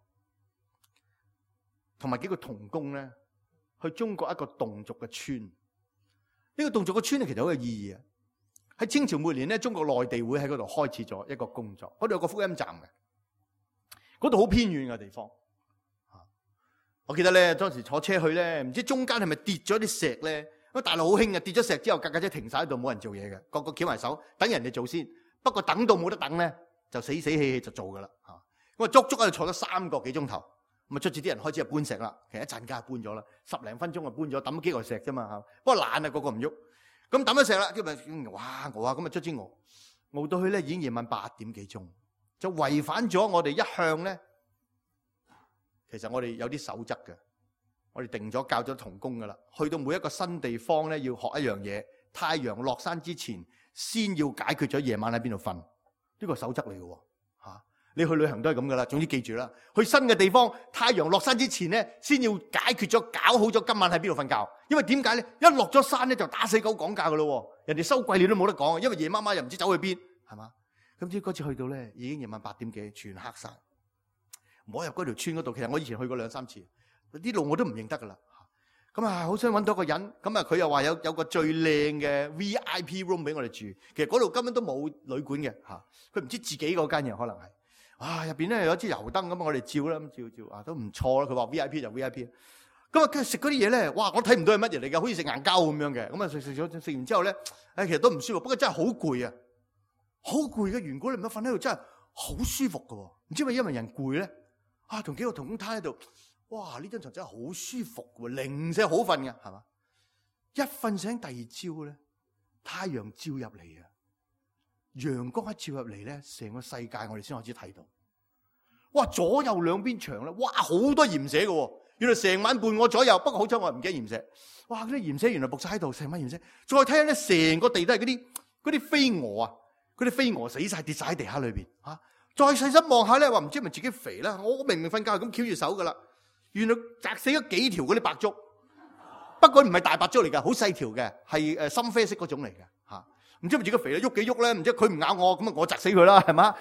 同埋幾個同工咧，去中國一個侗族嘅村。呢、這個侗族嘅村咧，其實好有意義啊！喺清朝末年咧，中國內地會喺嗰度開始咗一個工作，嗰度有個福音站嘅，嗰度好偏遠嘅地方。我記得咧，當時坐車去咧，唔知中間係咪跌咗啲石咧？因為大陸好興嘅，跌咗石之後，架架車停晒喺度，冇人做嘢嘅，個個翹埋手等人哋做先。不過等到冇得等咧，就死死氣氣就做噶啦嚇。咁啊，足足喺度坐咗三個幾鐘頭，咁啊，卒之啲人開始就搬石啦。其實一陣間搬咗啦，十零分鐘就搬咗，抌咗幾嚿石啫嘛嚇。不過懶啊，個個唔喐。咁抌咗石啦，跟住哇我啊，咁啊卒之我熬到去咧，已經夜晚八點幾鐘，就違反咗我哋一向咧。其實我哋有啲守則嘅，我哋定咗教咗同工噶啦。去到每一個新地方咧，要學一樣嘢，太陽落山之前，先要解決咗夜晚喺邊度瞓，呢個守則嚟嘅吓。你去旅行都係咁噶啦，總之記住啦。去新嘅地方，太陽落山之前咧，先要解決咗，搞好咗今晚喺邊度瞓覺。因為點解咧？一落咗山咧，就打死狗講價噶咯。人哋收貴你都冇得講，因為夜媽媽又唔知走去邊，係嘛？咁至嗰次去到咧，已經夜晚八點幾，全黑晒。唔好入嗰條村嗰度。其實我以前去過兩三次，啲路我都唔認得噶啦。咁啊，好想揾到個人。咁啊，佢又話有有個最靚嘅 V I P room 俾我哋住。其實嗰度根本都冇旅館嘅嚇。佢唔知自己嗰間嘢可能係啊，入邊咧有一支油燈咁，我哋照啦，咁照照啊都唔錯啦。佢話 V I P 就 V I P。咁啊，佢食嗰啲嘢咧，哇！我睇唔到係乜嘢嚟嘅，好似食硬膠咁樣嘅。咁啊，食食咗食完之後咧，誒，其實都唔舒服。不過真係好攰啊，好攰嘅緣故，你唔好瞓喺度，真係好舒服㗎。唔知係咪因為人攰咧？啊，同幾個同工攤喺度，哇！呢張床真係好舒服嘅，零舍好瞓嘅，係嘛？一瞓醒第二朝咧，太陽照入嚟啊！陽光一照入嚟咧，成個世界我哋先開始睇到。哇！左右兩邊牆咧，哇！好多鹽蛇嘅，原來成晚伴我左右。不過好彩我唔驚鹽蛇。哇！嗰啲鹽蛇原來伏晒喺度，成晚鹽蛇。再睇下咧，成個地都係嗰啲嗰啲飛蛾啊，嗰啲飛蛾死晒跌晒喺地下裏邊吓。再細心望下咧，話唔知係咪自己肥啦？我明明瞓覺係咁翹住手噶啦，原來砸死咗幾條嗰啲白竹。不過唔係大白竹嚟噶，好細條嘅，係誒深啡色嗰種嚟嘅吓。唔知係咪自己肥啦，喐幾喐咧？唔知佢唔咬我，咁啊我砸死佢啦，係嘛？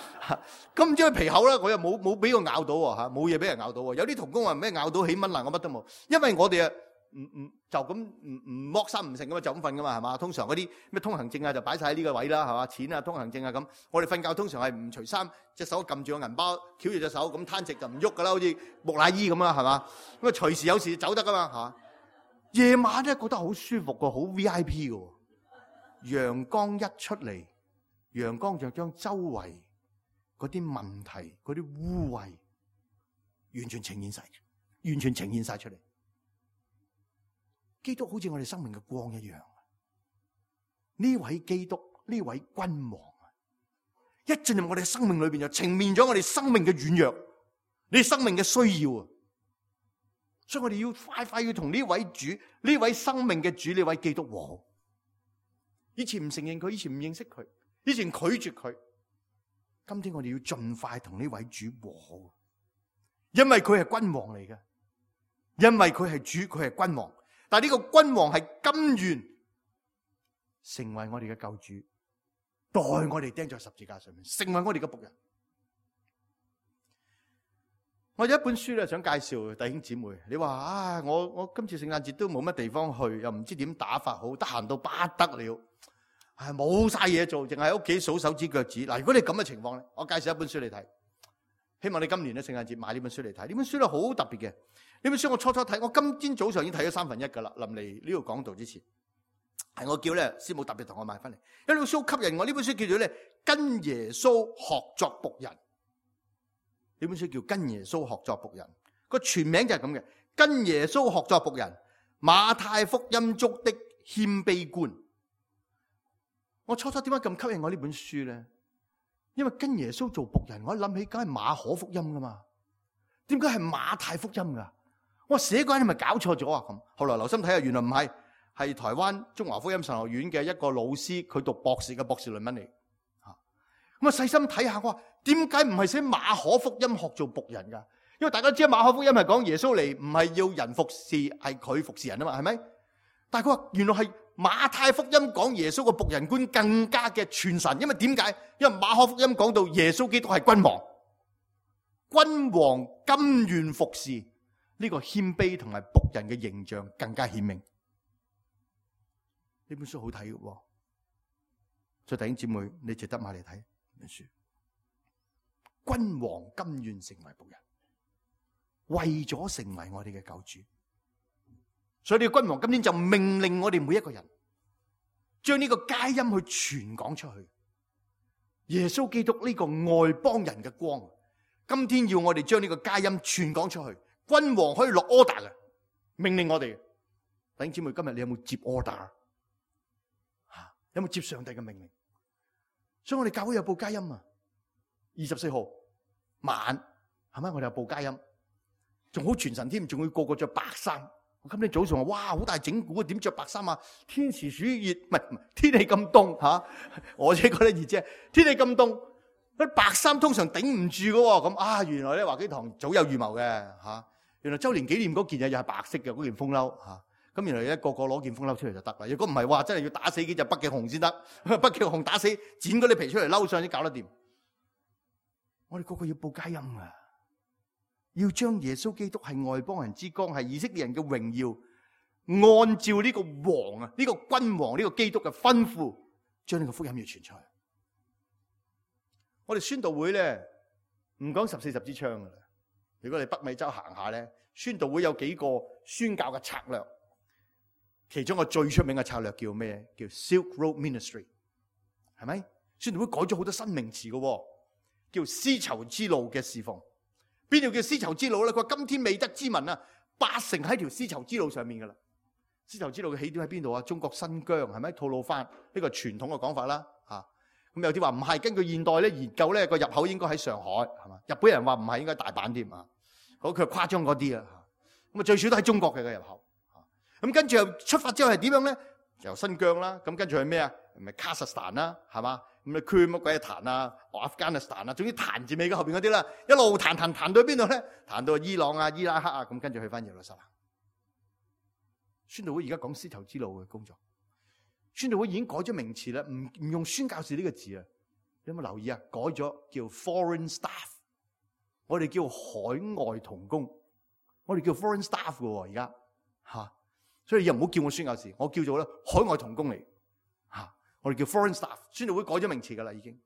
咁唔知佢皮厚啦，我又冇冇俾佢咬到喎吓，冇嘢俾人咬到喎。有啲童工話咩咬到起蚊爛，我乜都冇，因為我哋啊唔唔就咁唔唔剝衫唔成噶嘛，就咁瞓噶嘛，係嘛？通常嗰啲咩通行證啊就擺晒喺呢個位啦，係嘛？錢啊通行證啊咁，我哋瞓覺通常係唔除衫，隻手撳住個銀包，翹住隻手咁攤直就唔喐噶啦，好似木乃伊咁啦，係嘛？咁啊隨時有時走得噶嘛吓。夜晚咧覺得好舒服噶，好 V I P 噶。陽光一出嚟，陽光就將周圍嗰啲問題、嗰啲污穢完全呈現晒，完全呈現晒出嚟。基督好似我哋生命嘅光一樣。呢位基督，呢位君王啊，一進入我哋嘅生命裏邊，就呈現咗我哋生命嘅軟弱，你生命嘅需要啊。所以我哋要快快要同呢位主、呢位生命嘅主、呢位基督和好。以前唔承認佢，以前唔認識佢，以前拒絕佢。今天我哋要盡快同呢位主和好，因為佢係君王嚟嘅，因為佢係主，佢係君王。但係呢個君王係甘願成為我哋嘅救主，代我哋釘在十字架上面，成為我哋嘅僕人。我有一本書咧，想介紹弟兄姊妹。你話啊，我我今次聖誕節都冇乜地方去，又唔知點打發好，得閒到不得了，係冇晒嘢做，淨係喺屋企數手指腳趾。嗱，如果你咁嘅情況咧，我介紹一本書你睇，希望你今年咧聖誕節買呢本書嚟睇。呢本書咧好特別嘅，呢本書我初初睇，我今天早上已經睇咗三分一噶啦。臨嚟呢度講道之前，係我叫咧師母特別同我買翻嚟，因為呢本書好吸引我。呢本書叫做咧跟耶穌學作僕人。呢本書叫跟耶穌學作僕人，個全名就係咁嘅，跟耶穌學作僕人，馬太福音中的謙卑觀。我初初點解咁吸引我呢本書咧？因為跟耶穌做僕人，我一諗起梗係馬可福音噶嘛，點解係馬太福音噶？我寫嗰陣係咪搞錯咗啊？咁後來留心睇下，原來唔係，係台灣中華福音神學院嘅一個老師，佢讀博士嘅博士論文嚟。咁啊細心睇下，我話點解唔係寫馬可福音學做僕人噶？因為大家知馬可福音係講耶穌嚟，唔係要人服侍，係佢服侍人啊嘛，係咪？但係佢話原來係馬太福音講耶穌個僕人觀更加嘅傳神，因為點解？因為馬可福音講到耶穌基督係君王，君王甘願服侍，呢個謙卑同埋僕人嘅形象更加顯明。呢本書好睇嘅，所以弟兄姊妹，你值得買嚟睇。書，君王甘願成為僕人，為咗成為我哋嘅救主，所以呢個君王今天就命令我哋每一個人，將呢個佳音去傳講出去。耶穌基督呢個外邦人嘅光，今天要我哋將呢個佳音傳講出去。君王可以落 order 嘅，命令我哋。弟兄姊妹，今日你有冇接 order？ 有冇接上帝嘅命令？所以我哋教會有報佳音啊，二十四號晚係咪？我哋有報佳音，仲好全神添，仲要個個着白衫。我今日早上話，哇，好大整蠱啊！點着白衫啊？天時暑熱，唔係唔係天氣咁凍吓，我自己覺得熱啫。天氣咁凍，啲白衫通常頂唔住噶。咁啊，原來咧華基堂早有預謀嘅吓。原來周年紀念嗰件嘢又係白色嘅嗰件風褸吓。咁原來一個個攞件風褸出嚟就得啦。如果唔係話，真係要打死幾隻北極熊先得。北極熊打死，剪嗰啲皮出嚟褸上先搞得掂。我哋個個要報佳音啊！要將耶穌基督係外邦人之光，係以色列人嘅榮耀，按照呢個王啊，呢個君王，呢個基督嘅吩咐，將呢個福音要傳出去。我哋宣道會咧，唔講十四十支槍噶啦，如果你北美洲行下咧，宣道會有幾個宣教嘅策略，其中個最出名嘅策略叫咩？叫 Silk Road Ministry， 係咪？宣道會改咗好多新名詞嘅，叫絲綢之路嘅侍奉。邊條叫絲綢之路咧？佢話今天未得之民啊，八成喺條絲綢之路上面噶啦。絲綢之路嘅起點喺邊度啊？中國新疆，係咪？吐魯番呢個傳統嘅講法啦，吓。咁有啲話唔係，根據現代咧研究咧個入口應該喺上海，係嘛？日本人話唔係，應該大阪添啊。好，佢誇張嗰啲啊。咁啊最少都喺中國嘅個入口。咁跟住又出發之後係點樣咧？由新疆啦，咁跟住去咩啊？咪卡薩斯坦啦，係嘛？咁啊區乜鬼嘢彈啊？阿富汗斯坦啊，總之彈字尾嘅後邊嗰啲啦，一路彈彈彈到邊度咧？彈到伊朗啊、伊拉克啊，咁跟住去翻耶路撒冷。宣道會而家講絲綢之路嘅工作。宣道會已經改咗名詞啦，唔唔用宣教士呢個字啊！有冇留意啊？改咗叫 foreign staff， 我哋叫海外同工，我哋叫 foreign staff 嘅喎，而家吓，所以又唔好叫我宣教士，我叫做咧海外同工嚟吓，我哋叫 foreign staff。宣道會改咗名詞噶啦，已經。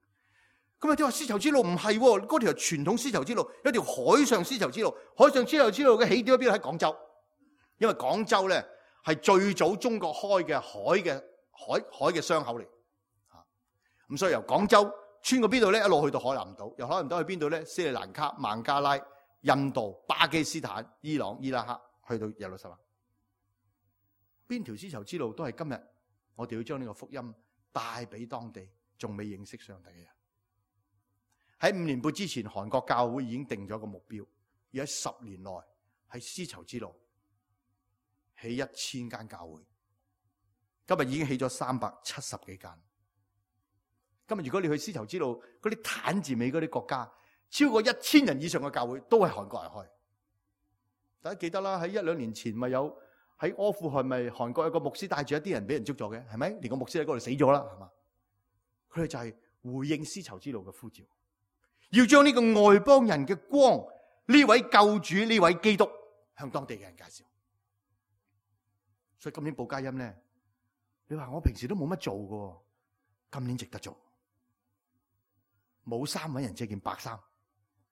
咁啊，啲話絲綢之路唔係喎，嗰條傳統絲綢之路，有條海上絲綢之路，海上絲綢之路嘅起點喺邊度？喺廣州，因為廣州咧係最早中國開嘅海嘅。海海嘅商口嚟，吓，咁所以由廣州穿過邊度咧，一路去到海南島，由海南島去邊度咧？斯里蘭卡、孟加拉、印度、巴基斯坦、伊朗、伊拉克，去到耶路撒冷。邊條絲綢之路都係今日我哋要將呢個福音帶俾當地仲未認識上帝嘅人。喺五年半之前，韓國教會已經定咗個目標，要喺十年內喺絲綢之路起一千間教會。今日已經起咗三百七十幾間。今日如果你去絲綢之路嗰啲坦字尾嗰啲國家，超過一千人以上嘅教會都係韓國人開。大家記得啦，喺一兩年前咪有喺阿富汗咪韓國有個牧師帶住一啲人俾人捉咗嘅，係咪？連個牧師喺嗰度死咗啦，係嘛？佢哋就係回應絲綢之路嘅呼召，要將呢個外邦人嘅光，呢位救主，呢位基督向當地嘅人介紹。所以今年報佳音咧。你話我平時都冇乜做嘅，今年值得做。冇衫搵人借件白衫，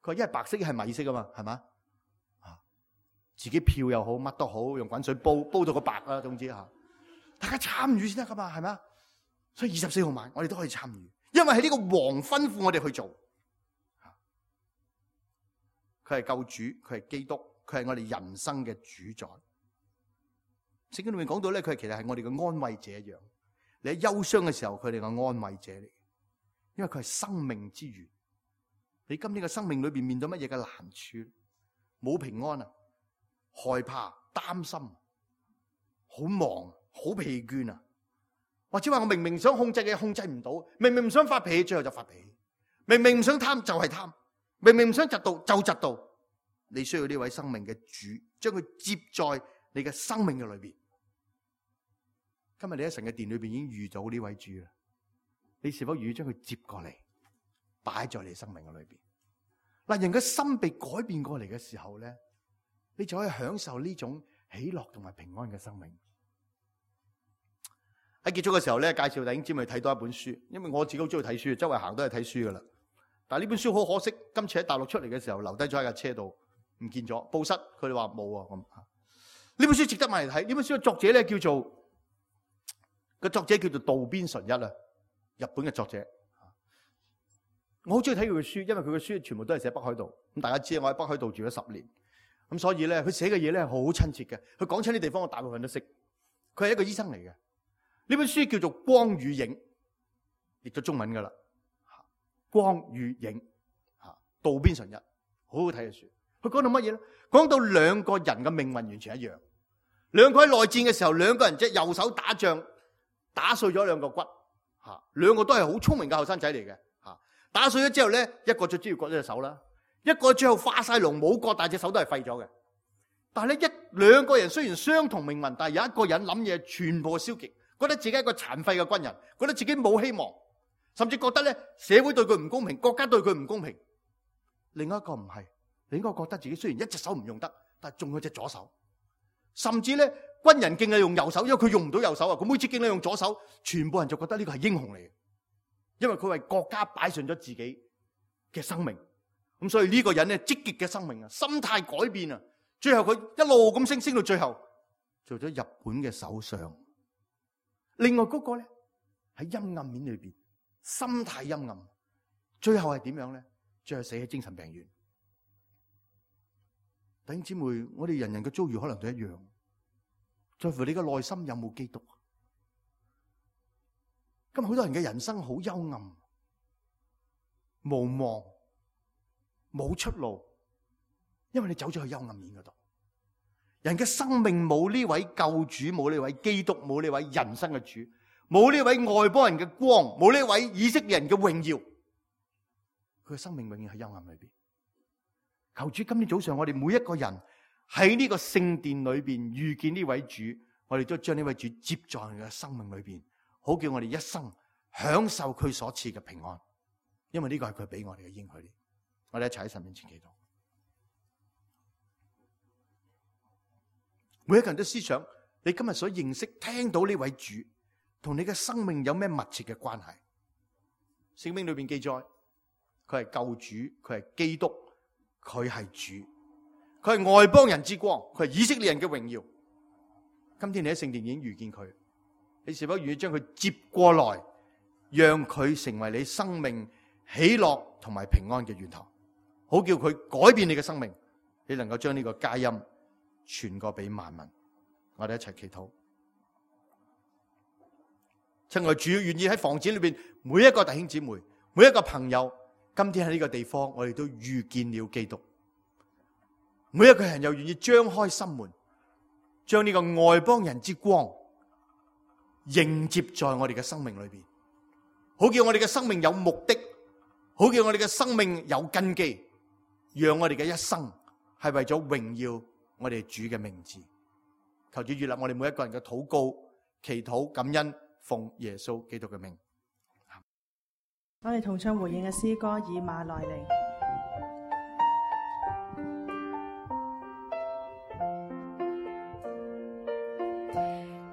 佢話一係白色一係米色啊嘛，係嘛？啊，自己漂又好，乜都好，用滾水煲煲到個白啦，總之吓，大家參與先得噶嘛，係咪？所以二十四號晚我哋都可以參與，因為係呢個王吩咐我哋去做。佢係救主，佢係基督，佢係我哋人生嘅主宰。聖經裏面講到咧，佢其實係我哋嘅安慰者一樣。你喺憂傷嘅時候，佢哋嘅安慰者嚟，因為佢係生命之源。你今天嘅生命裏邊面對乜嘢嘅難處？冇平安啊，害怕、擔心，好忙、好疲倦啊，或者話我明明想控制嘅控制唔到，明明唔想發脾氣，最後就發脾氣；明明唔想貪就係貪，明明唔想嫉妒就嫉妒。你需要呢位生命嘅主，將佢接在你嘅生命嘅裏邊。今日你喺神嘅殿裏邊已經遇到呢位主啦，你是否願意將佢接過嚟，擺在你生命嘅裏邊？嗱，人嘅心被改變過嚟嘅時候咧，你就可以享受呢種喜樂同埋平安嘅生命。喺結束嘅時候咧，介紹弟兄姊妹睇多一本書，因為我自己好中意睇書，周圍行都係睇書噶啦。但係呢本書好可惜，今次喺大陸出嚟嘅時候留低咗喺架車度，唔見咗，報失，佢哋話冇啊咁。呢本書值得買嚟睇。呢本書嘅作者咧叫做個作者叫做渡邊淳一啊，日本嘅作者。我好中意睇佢嘅書，因為佢嘅書全部都係寫北海道。咁大家知我喺北海道住咗十年，咁所以咧佢寫嘅嘢咧好親切嘅。佢講親啲地方我大部分都識。佢係一個醫生嚟嘅。呢本書叫做《光與影》，譯咗中文噶啦。光與影，吓，渡邊淳一，好好睇嘅書。佢講到乜嘢咧？講到兩個人嘅命運完全一樣。兩個喺內戰嘅時候，兩個人隻右手打仗，打碎咗兩個骨，吓，兩個都係好聰明嘅後生仔嚟嘅，吓，打碎咗之後咧，一個最主要割咗隻手啦，一個最後化晒龍冇割，但係隻手都係廢咗嘅。但係咧，一兩個人雖然相同命運，但係有一個人諗嘢全部消極，覺得自己係一個殘廢嘅軍人，覺得自己冇希望。甚至覺得咧社會對佢唔公平，國家對佢唔公平。另外一個唔係，另一個覺得自己雖然一隻手唔用得，但係仲有隻左手。甚至咧軍人敬禮用右手，因為佢用唔到右手啊，佢每次敬禮用左手，全部人就覺得呢個係英雄嚟嘅，因為佢為國家擺上咗自己嘅生命，咁所以呢個人咧積極嘅生命啊，心態改變啊，最後佢一路咁升升到最後做咗日本嘅首相。另外嗰個咧喺陰暗面裏邊，心態陰暗，最後係點樣咧？最後死喺精神病院。弟兄姊妹，我哋人人嘅遭遇可能都一樣，在乎你嘅內心有冇基督。今日好多人嘅人生好幽暗、無望、冇出路，因為你走咗去幽暗面嗰度。人嘅生命冇呢位救主，冇呢位基督，冇呢位人生嘅主，冇呢位外邦人嘅光，冇呢位以色列人嘅榮耀，佢嘅生命永遠喺幽暗裏邊。求主今天早上我哋每一個人喺呢個聖殿裏邊遇見呢位主，我哋都將呢位主接在我哋嘅生命裏邊，好叫我哋一生享受佢所賜嘅平安，因為呢個係佢俾我哋嘅應許。我哋一齊喺神面前祈禱。每一個人都思想，你今日所認識聽到呢位主同你嘅生命有咩密切嘅關係？聖經裏邊記載，佢係救主，佢係基督，佢係主，佢係外邦人之光，佢係以色列人嘅榮耀。今天你喺聖殿已經遇見佢，你是否願意將佢接過來，讓佢成為你生命喜樂同埋平安嘅源頭，好叫佢改變你嘅生命，你能夠將呢個佳音傳過俾萬民。我哋一齊祈禱。親愛主，願意喺房子裏邊每一個弟兄姊妹，每一個朋友，今天喺呢個地方我哋都遇見了基督。每一個人又願意張開心門，將呢個外邦人之光迎接在我哋嘅生命裏邊，好叫我哋嘅生命有目的，好叫我哋嘅生命有根基，讓我哋嘅一生係為咗榮耀我哋主嘅名字。求主悅納我哋每一個人嘅禱告、祈禱、感恩，奉耶穌基督嘅名。我哋同唱回應嘅詩歌以馬內利。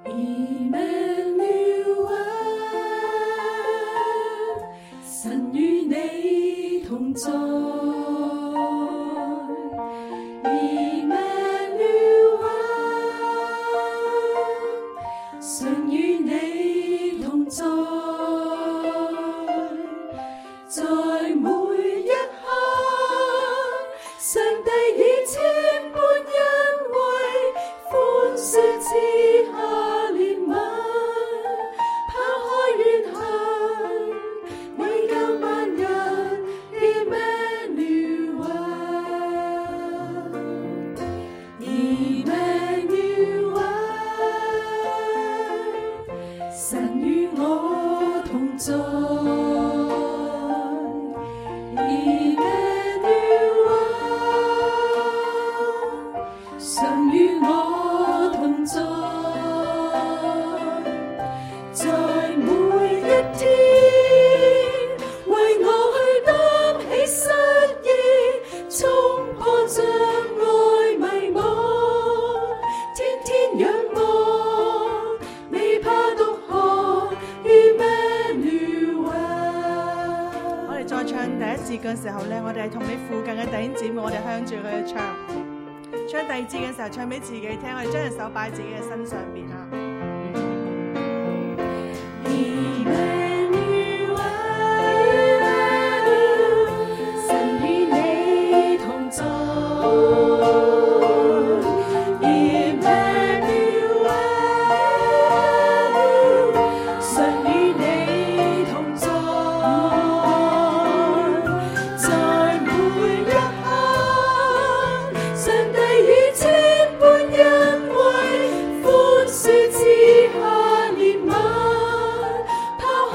Emmanuel， 神與你同在。Emmanuel， 神與你同在。在每一刻，上帝以千般恩惠，寬恕賜下憐憫，拋開怨恨，為救萬人 Emmanuel，Emmanuel， 神與我同在。神與我同在，在每一天，為我去擔起失意，衝破障礙迷惘，天天仰望，未怕獨行 Emmanuel。我哋再唱第一節嘅時候咧，我哋係同你附近嘅弟兄姊妹，我哋向住佢去唱。唱第二節嘅時候，唱俾自己聽，我哋將隻手擺喺自己嘅身上邊啊。Emmanuel， 神與你同在。Emmanuel， 神與你同在。在每一刻，上帝以千般恩惠，寬恕賜下憐憫，拋開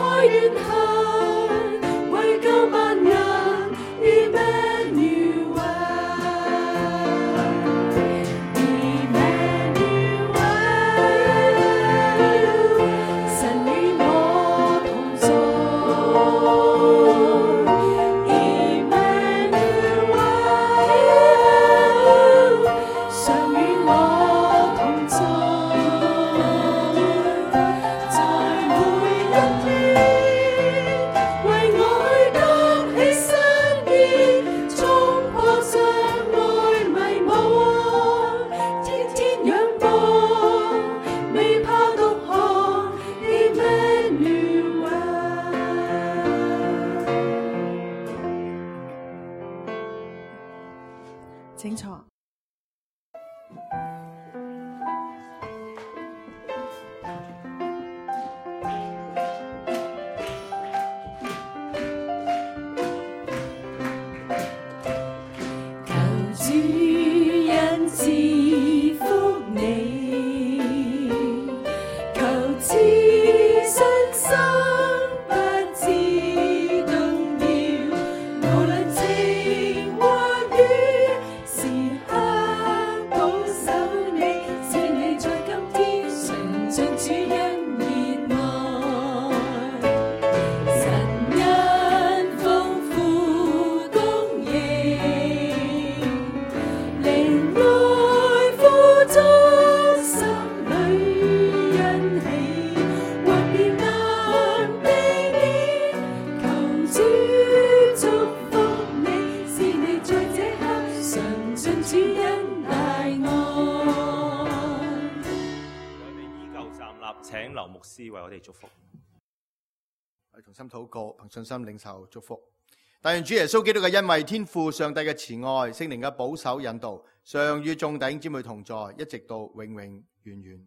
請坐。主恩賜福你，求賜信心不致動搖，無論晴或雨，時刻保守你，使你在今天純盡主恩熱愛，神恩豐富供應。靈愛富足，心裏欣喜，或變難避免，求主祝福你，使你在這刻嘗盡主恩大愛。我哋依舊站立，請劉牧師為我哋祝福。我哋同心禱告，憑信心領受祝福。但願主耶穌基督嘅恩惠、天父上帝嘅慈愛、聖靈嘅保守引導，常與眾弟兄姊妹同在，一直到永永遠遠。